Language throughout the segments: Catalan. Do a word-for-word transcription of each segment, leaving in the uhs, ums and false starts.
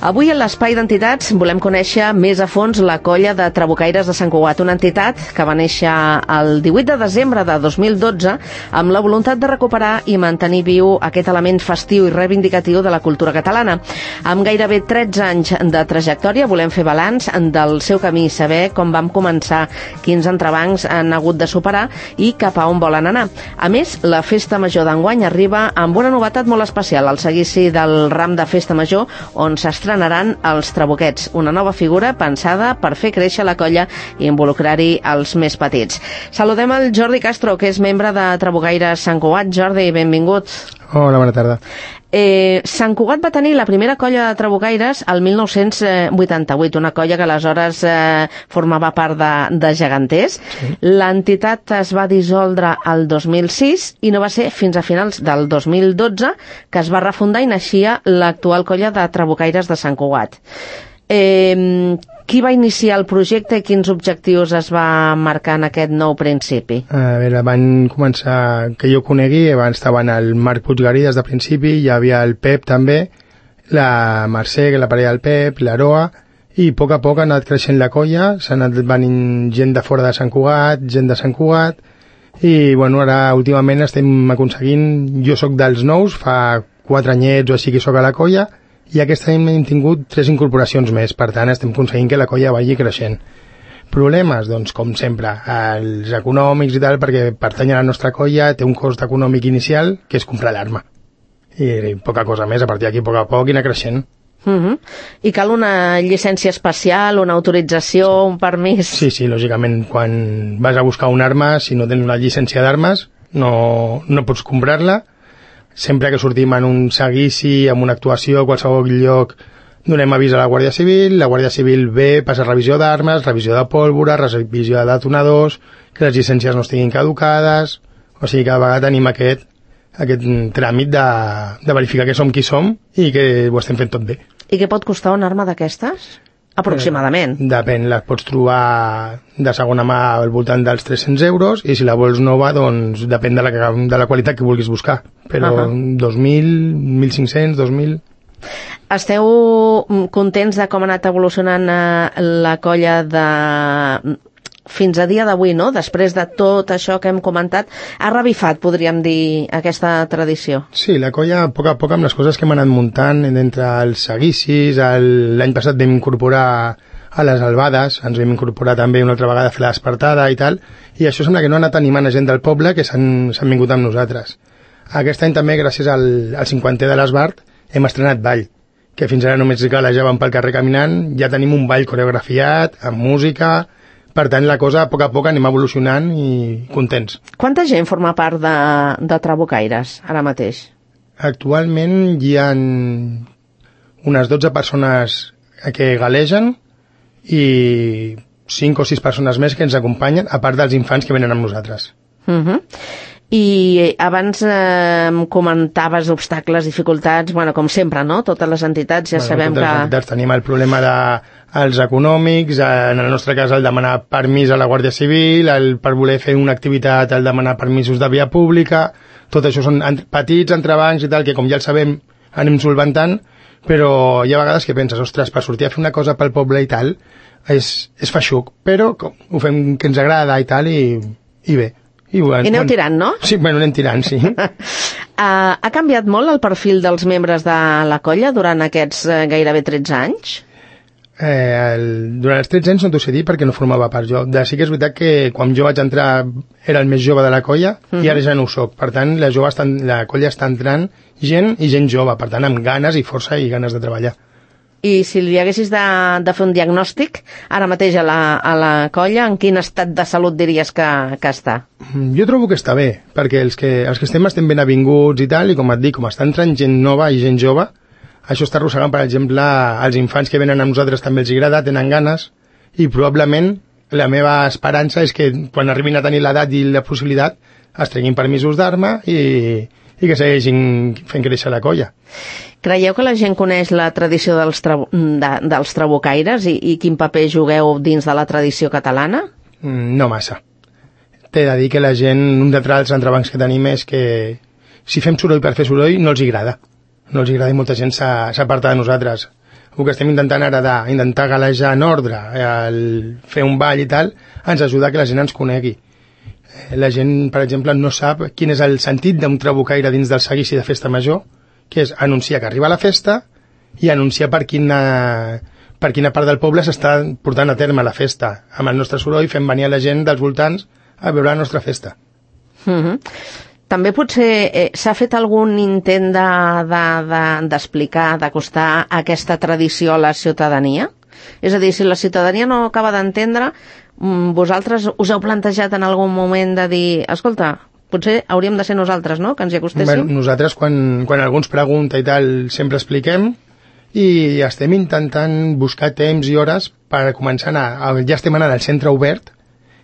Avui a l'Espai d'Entitats volem conèixer més a fons la colla de Trabucaires de Sant Cugat, una entitat que va néixer el divuit de desembre de dos mil dotze amb la voluntat de recuperar i mantenir viu aquest element festiu i reivindicatiu de la cultura catalana. Amb gairebé tretze anys de trajectòria volem fer balanç del seu camí, saber com vam començar, quins entrebancs han hagut de superar i cap a on volen anar. A més, la Festa Major d'enguany arriba amb una novetat molt especial, el seguici del ram de Festa Major, on s'estrenaran els trabuquets, una nova figura pensada per fer créixer la colla i involucrar-hi els més petits. Saludem el Jordi Castro, que és membre de Trabucaires Sant Cugat. Jordi, benvingut. Hola, bona tarda. Eh, Sant Cugat va tenir la primera colla de trabucaires el mil nou-cents vuitanta-vuit, una colla que aleshores eh, formava part de, de Geganters. Sí. L'entitat es va dissoldre el dos mil sis i no va ser fins a finals del dos mil dotze que es va refundar i naixia l'actual colla de trabucaires de Sant Cugat. Eh, qui va iniciar el projecte i quins objectius es va marcar en aquest nou principi? A veure, van començar, que jo conegui, abans estaven el Marc Puiggarí des de principi, hi havia el Pep també, la Mercè, que la parella del Pep, l'Aroa, i a poc a poc ha anat creixent la colla, s'ha anat venint gent de fora de Sant Cugat, gent de Sant Cugat, i bueno, ara últimament estem aconseguint, jo sóc dels nous, fa quatre anyets o així que sóc a la colla, i aquest any hem tingut tres incorporacions més, per tant estem aconseguint que la colla vagi creixent. Problemes? Doncs com sempre, els econòmics i tal, perquè pertany a la nostra colla, té un cost econòmic inicial, que és comprar l'arma. I, i poca cosa més, a partir d'aquí a poc a poc i anar creixent. Uh-huh. I cal una llicència especial, una autorització, sí. Un permís? Sí, sí, lògicament, quan vas a buscar una arma, si no tens una llicència d'armes, no, no pots comprar-la. Sempre que sortim en un seguici, en una actuació, a qualsevol lloc, donem avís a la Guàrdia Civil, la Guàrdia Civil ve, passa revisió d'armes, revisió de pólvora, revisió de detonadors, que les llicències no estiguin caducades, o sigui, cada vegada tenim aquest, aquest tràmit de, de verificar que som qui som i que ho estem fent tot bé. I què pot costar una arma d'aquestes? Aproximadament. Eh, depèn, les pots trobar de segona mà al voltant dels tres-cents euros i si la vols nova, doncs depèn de la, de la qualitat que vulguis buscar. Però uh-huh. dos mil, mil cinc-cents, dos mil... Esteu contents de com ha anat evolucionant la colla de... fins a dia d'avui, no? Després de tot això que hem comentat, ha revifat, podríem dir, aquesta tradició. Sí, la colla, a poc a poc, amb les coses que hem anat muntant, entre els seguicis, l'any passat vam incorporar a les albades, ens vam incorporar també una altra vegada a fer la despertada i tal, i això sembla que no ha anat animant a gent del poble que s'han vingut amb nosaltres. Aquest any també, gràcies al, al cinquantè de l'Esbart, hem estrenat ball, que fins ara només galejàvem pel carrer caminant, ja tenim un ball coreografiat, amb música. Per tant, la cosa, a poc a poc, anem evolucionant i contents. Quanta gent forma part de, de Trabucaires, ara mateix? Actualment hi ha unes dotze persones que galegen i cinc o sis persones més que ens acompanyen, a part dels infants que venen amb nosaltres. Uh-huh. I abans eh, comentaves obstacles, dificultats, bueno, com sempre, no? Totes les entitats ja bueno, sabem totes que... les entitats tenim el problema de els econòmics, en el nostre cas el demanar permís a la Guàrdia Civil, el, per voler fer una activitat, el demanar permisos de via pública, tot això són petits entrebancs i tal, que com ja el sabem anem solventant, però hi ha vegades que penses, ostres, per sortir a fer una cosa pel poble i tal, és, és feixuc, però com, ho fem que ens agrada i tal, i, i bé. I, I aneu tirant, no? Sí, bueno, anem tirant, sí. uh, ha canviat molt el perfil dels membres de la colla durant aquests uh, gairebé tretze anys? Eh, el, durant els tretze anys no t'ho sé dir perquè no formava part jo. De, sí que és veritat que quan jo vaig entrar era el més jove de la colla uh-huh. i ara ja no ho soc. Per tant, la, jove està, la colla està entrant gent i gent jove, per tant, amb ganes i força i ganes de treballar. I si li haguessis de, de fer un diagnòstic, ara mateix a la, a la colla, en quin estat de salut diries que, que està? Jo trobo que està bé, perquè els que, els que estem estem ben avinguts i tal, i com et dic, com està entrant gent nova i gent jove, això està arrossegant, per exemple, els infants que venen a nosaltres també els agrada, tenen ganes, i probablement la meva esperança és que quan arribin a tenir l'edat i la possibilitat es treguin permisos d'arma i, i que segueixin fent créixer la colla. Creieu que la gent coneix la tradició dels, tra de, dels trabucaires i, i quin paper jugueu dins de la tradició catalana? No massa. T'he de dir que la gent, un dels entrebancs que tenim és que si fem soroll per fer soroll no els agrada. No els agrada i molta gent s'aparta de nosaltres. el que estem intentant ara d'intentar galejar en ordre, el fer un ball i tal, ens ajuda que la gent ens conegui. La gent, per exemple, no sap quin és el sentit d'un trabucaire dins del seguici de festa major, que és anunciar que arriba la festa i anunciar per quina, per quina part del poble s'està portant a terme la festa. Amb el nostre soroll fem venir a la gent dels voltants a veure la nostra festa. Mm-hmm. També potser eh, s'ha fet algun intent d'explicar, de, de, d'acostar aquesta tradició a la ciutadania? És a dir, si la ciutadania no acaba d'entendre, vosaltres us heu plantejat en algun moment de dir, escolta, potser hauríem de ser nosaltres, no?, que ens hi acostéssim? Bueno, nosaltres, quan, quan algú ens pregunta i tal, sempre expliquem i estem intentant buscar temps i hores per començar a anar, ja estem anant al centre obert,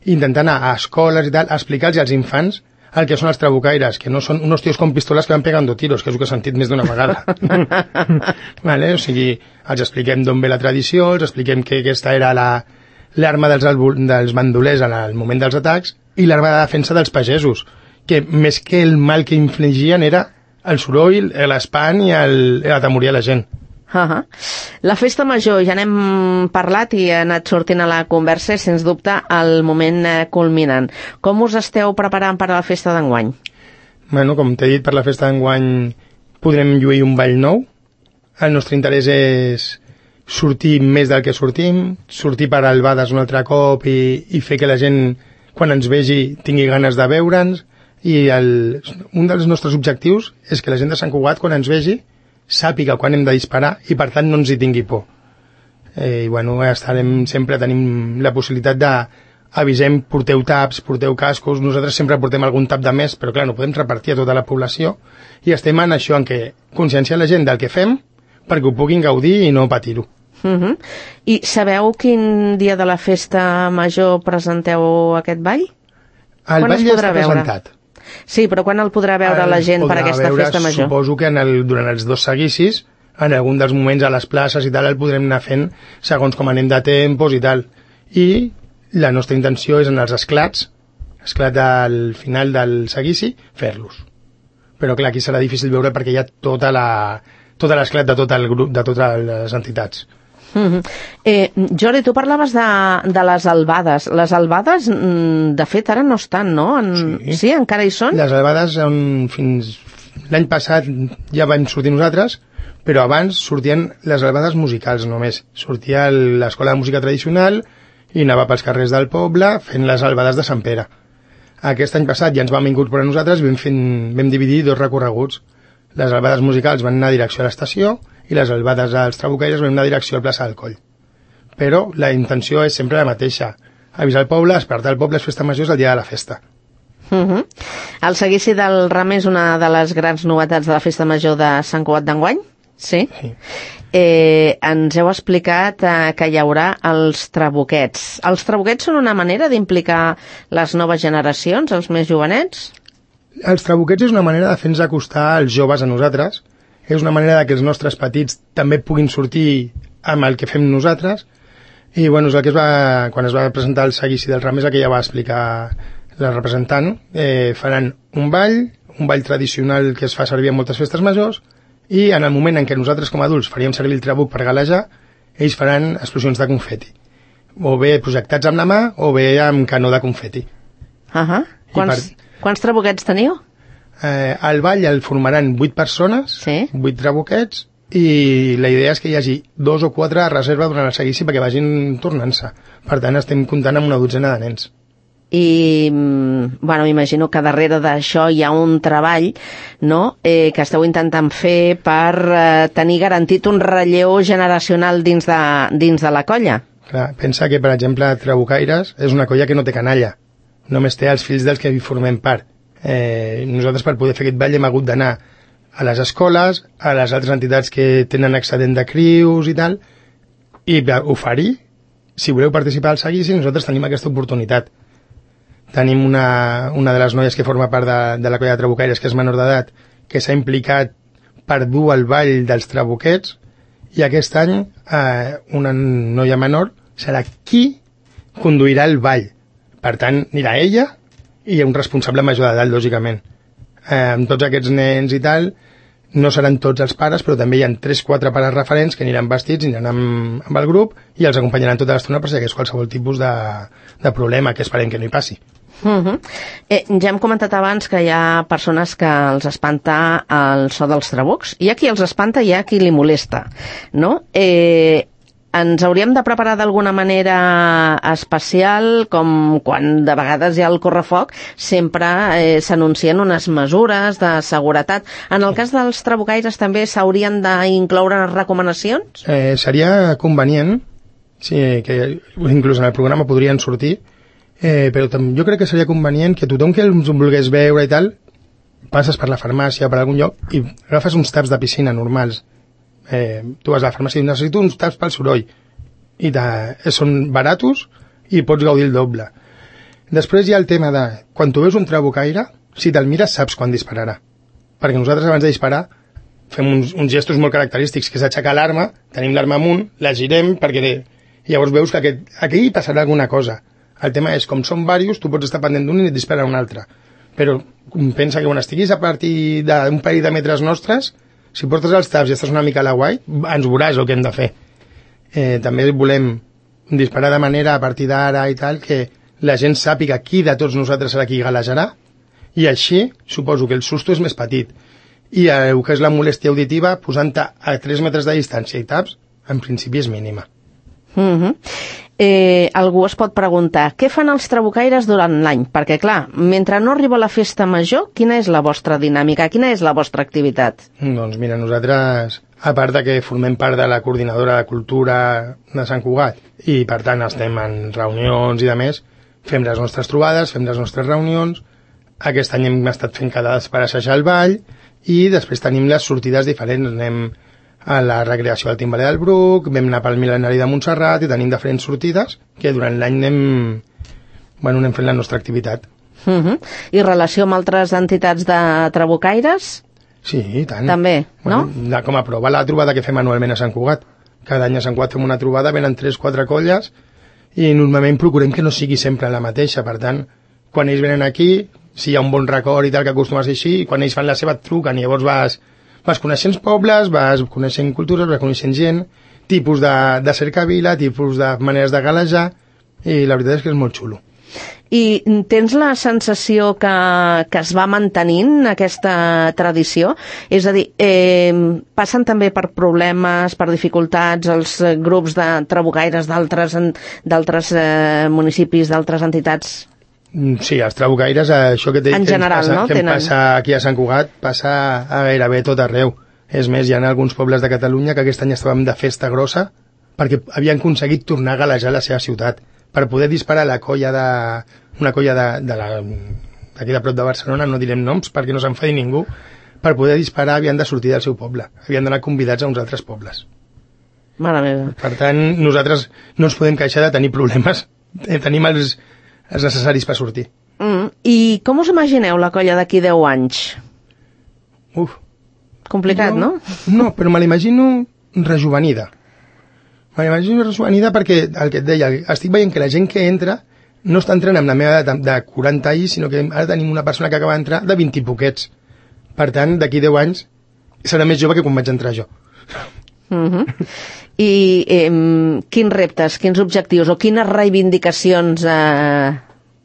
intentant anar a escoles i tal, a explicar-los als infants el que són els trabucaires, que no són unos tios con pistoles que van pegando tiros, que és el que he sentit més d'una vegada. Vale? O sigui, els expliquem d'on ve la tradició, els expliquem que aquesta era la l'arma dels, dels bandolers en el moment dels atacs i l'arma de defensa dels pagesos, que més que el mal que infligien era el soroll, l'espant i el, l'atemorir a la gent. Uh-huh. La festa major, ja n'hem parlat i ha anat sortint a la conversa, sens dubte el moment culminant. Com us esteu preparant per a la festa d'enguany? Bueno, com t'he dit, per la festa d'enguany podrem lluir un ball nou. El nostre interès és sortir més del que sortim, sortir per albades un altre cop i, i fer que la gent, quan ens vegi, tingui ganes de veure'ns. I el, un dels nostres objectius és que la gent de Sant Cugat, quan ens vegi, sàpiga quan hem de disparar i, per tant, no ens hi tingui por. Eh, I, bueno, estarem, sempre tenim la possibilitat de avisem, porteu taps, porteu cascos, nosaltres sempre portem algun tap de més, però, clar, no podem repartir a tota la població, i estem en això, en què conscienciar la gent del que fem perquè ho puguin gaudir i no patir-ho. Uh-huh. I sabeu quin dia de la festa major presenteu aquest ball? El ball ja està presentat. Sí, però quan el podrà veure el la gent per aquesta veure, festa major? Suposo que en el, durant els dos seguicis, en algun dels moments a les places i tal, el podrem anar fent segons com anem de tempos i tal. I la nostra intenció és en els esclats, esclat al final del seguici, fer-los. Però clar, aquí serà difícil veure perquè hi ha tota la, tota l'esclat de tot el grup, de totes les entitats. Mm-hmm. eh, Jordi, tu parlaves de, de les albades. Les albades, de fet, ara no estan, no? En... Sí. Sí, encara hi són? Les albades, on, fins l'any passat ja vam sortir nosaltres, però abans sortien les albades musicals només. Sortia l'escola de música tradicional i anava pels carrers del poble fent les albades de Sant Pere. Aquest any passat ja ens vam incorporar nosaltres i vam, fent, vam dividir dos recorreguts. Les albades musicals van anar a direcció a l'estació i les albades als trabucaires van anar a direcció al plaça del Coll. Però la intenció és sempre la mateixa. Avisar el poble, despertar el poble, és festa major, és el dia de la festa. Uh-huh. El seguici del Ram és una de les grans novetats de la festa major de Sant Cugat d'enguany? Sí? Sí. Eh, ens heu explicat eh, que hi haurà els trabuquets. Els trabuquets són una manera d'implicar les noves generacions, els més jovenets? Els trabuquets és una manera de fer-nos acostar els joves a nosaltres. És una manera de que els nostres petits també puguin sortir amb el que fem nosaltres. I bueno, és el que es va, quan es va presentar el seguici del Ram és el que ja va explicar la representant. Eh, faran un ball, un ball tradicional que es fa servir en moltes festes majors, i en el moment en què nosaltres com a adults faríem servir el trabuc per galejar, ells faran explosions de confeti. O bé projectats amb la mà, o bé amb canó de confeti. Uh-huh. Quants, per... quants trabuquets teniu? Eh, el ball el formaran vuit persones, sí? vuit trabuquets, i la idea és que hi hagi dos o quatre a reserva durant el seguici perquè vagin tornant-se. Per tant, estem comptant amb una dotzena de nens. I, bueno, m'imagino que darrere d'això hi ha un treball, no?, eh, que esteu intentant fer per eh, tenir garantit un relleu generacional dins de, dins de la colla. Clar, pensa que, per exemple, Trabucaires és una colla que no té canalla. Només té els fills dels que hi formem part. Eh, nosaltres, per poder fer aquest ball, hem hagut d'anar a les escoles, a les altres entitats que tenen excedent de crius i tal, i oferir, si voleu participar al seguici, nosaltres tenim aquesta oportunitat. Tenim una, una de les noies que forma part de, de la colla de trabucaires, que és menor d'edat, que s'ha implicat per dur el ball dels trabuquets, i aquest any eh, una noia menor serà qui conduirà el ball. Per tant, anirà ella i un responsable major d'edat, lògicament. Eh, amb tots aquests nens i tal, no seran tots els pares, però també hi ha tres quatre pares referents que aniran vestits, aniran amb, amb el grup i els acompanyaran tota l'estona per si hi hagués qualsevol tipus de, de problema, que esperem que no hi passi. Uh -huh. eh, ja hem comentat abans que hi ha persones que els espanta el so dels trabucs. Hi ha qui els espanta i hi ha qui li molesta, no? Eh, ens hauríem de preparar d'alguna manera especial, com quan de vegades hi ha el correfoc, sempre eh, s'anuncien unes mesures de seguretat. En el cas dels trabucaires també s'haurien d'incloure recomanacions? Eh, seria convenient, sí, que inclús en el programa podrien sortir, eh, però jo crec que seria convenient que tothom que els volgués veure i tal, passes per la farmàcia o per algun lloc i agafes uns taps de piscina normals. Eh, tu vas a la farmàcia i necessito uns taps pel soroll i de, són baratos i pots gaudir el doble. Després hi ha el tema de quan tu veus un trabucaire, si te'l mires saps quan dispararà, perquè nosaltres abans de disparar fem uns, uns gestos molt característics, que és aixecar l'arma, tenim l'arma amunt, la girem perquè llavors veus que aquest, aquí passarà alguna cosa. El tema és, com són diversos, tu pots estar pendent d'un i et dispara un altre, però pensa que quan estiguis a partir d'un parell de metres nostres, si portes els taps i estàs una mica a la guai, ens veuràs el que hem de fer. Eh, també volem disparar de manera a partir d'ara i tal, que la gent sàpiga qui de tots nosaltres serà qui galejarà, i així suposo que el susto és més petit. I el que és la molèstia auditiva, posant-te a tres metres de distància i taps, en principi és mínima. Uh-huh. Eh, algú es pot preguntar, què fan els trabucaires durant l'any? Perquè, clar, mentre no arriba la festa major, quina és la vostra dinàmica? Quina és la vostra activitat? Doncs mira, nosaltres, a part de que formem part de la coordinadora de cultura de Sant Cugat, i per tant estem en reunions i de més, fem les nostres trobades, fem les nostres reunions. Aquest any hem estat fent quedades per assajar el ball, i després tenim les sortides diferents. Anem a la recreació del Timbaler del Bruc, vam anar pel Mil·lenari de Montserrat i tenim diferents sortides que durant l'any anem, bueno, anem fent la nostra activitat. Uh-huh. I relació amb altres entitats de trabucaires? Sí, i tant. També, no? Bueno, com a prova la trobada que fem anualment a Sant Cugat. Cada any a Sant Cugat fem una trobada, venen tres quatre colles i normalment procurem que no sigui sempre la mateixa. Per tant, quan ells venen aquí, si hi ha un bon record i tal, que acostuma a ser així, quan ells fan la seva et truquen i llavors vas... vas coneixent pobles, vas coneixent cultures, vas coneixent gent, tipus de, de cercavila, tipus de maneres de galejar, i la veritat és que és molt xulo. I tens la sensació que, que es va mantenint aquesta tradició? És a dir, eh, passen també per problemes, per dificultats, els grups de trabucaires d'altres d'altres eh, municipis, d'altres entitats? Sí, els trabucaires, això que, té, en que, general, passa, no? que Tenen... passa aquí a Sant Cugat, passa a gairebé tot arreu. És més, hi ha alguns pobles de Catalunya que aquest any estàvem de festa grossa perquè havien aconseguit tornar a galejar la seva ciutat per poder disparar la colla de... una colla de, de la, d'aquí de prop de Barcelona, no direm noms perquè no s'enfadi ningú, per poder disparar havien de sortir del seu poble, havien d'anar convidats a uns altres pobles. Mare meva. Per tant, nosaltres no ens podem queixar de tenir problemes, tenim els és necessaris per sortir. Mm. I com us imagineu la colla d'aquí deu anys? Uf. Complicat, jo, no? No, però me l'imagino rejuvenida. Me l'imagino rejuvenida perquè, el que et deia, estic veient que la gent que entra no està entrant amb la meva edat de quaranta anys, sinó que ara tenim una persona que acaba d'entrar de vint i poquets. Per tant, d'aquí deu anys serà més jove que quan vaig entrar jo. Uh-huh. I eh, quins reptes, quins objectius o quines reivindicacions eh,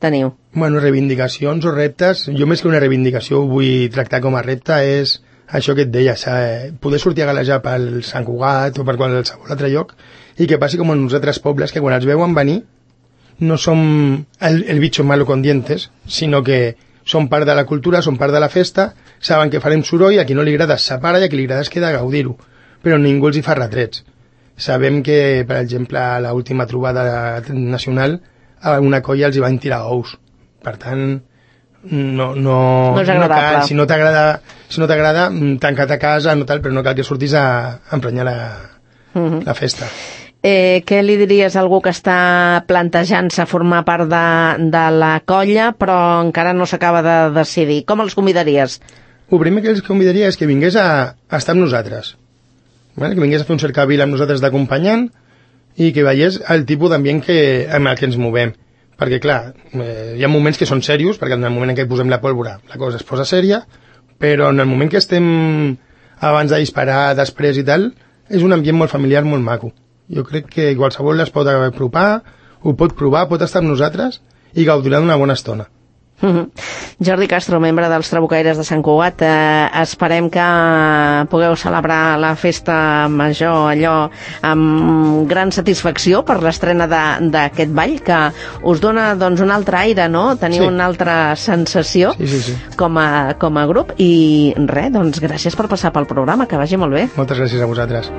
teniu? Bueno, reivindicacions o reptes, jo més que una reivindicació ho vull tractar com a repte, és això que et deia, eh, poder sortir a galejar pel Sant Cugat o per qualsevol altre lloc i que passi com en uns altres pobles que quan els veuen venir no som el, el bicho malo con dientes, sinó que són part de la cultura, són part de la festa, saben que farem soroll, a qui no li agrada es separa i a qui li agrada es queda a gaudir-ho, però ningú els hi fa retrets. Sabem que, per exemple, a l'última trobada nacional a una colla els hi van tirar ous. Per tant, no, no, no, és no cal, si no t'agrada, si no t'agrada, tanca't a casa, no tal, però no cal que surtis a, a emprenyar la, uh-huh. la festa. Eh, què li diries a algú que està plantejant-se formar part de, de la colla però encara no s'acaba de decidir? Com els convidaries? El primer que els convidaria és que vingués a, a estar amb nosaltres, vale? Que vingués a fer un cercavil amb nosaltres d'acompanyant i que veiés el tipus d'ambient que, amb el que ens movem. Perquè, clar, eh, hi ha moments que són serios, perquè en el moment en què posem la pólvora la cosa es posa sèria, però en el moment que estem abans de disparar, després i tal, és un ambient molt familiar, molt maco. Jo crec que qualsevol es pot apropar, ho pot provar, pot estar amb nosaltres i gaudirà d'una bona estona. Mm-hmm. Jordi Castro, membre dels Trabucaires de Sant Cugat, eh, esperem que pugueu celebrar la festa major allò amb gran satisfacció per l'estrena d'aquest ball, que us dona doncs, un altre aire, no? Teniu sí. una altra sensació sí, sí, sí. Com, a, com a grup, i res, doncs gràcies per passar pel programa, que vagi molt bé. Moltes gràcies a vosaltres.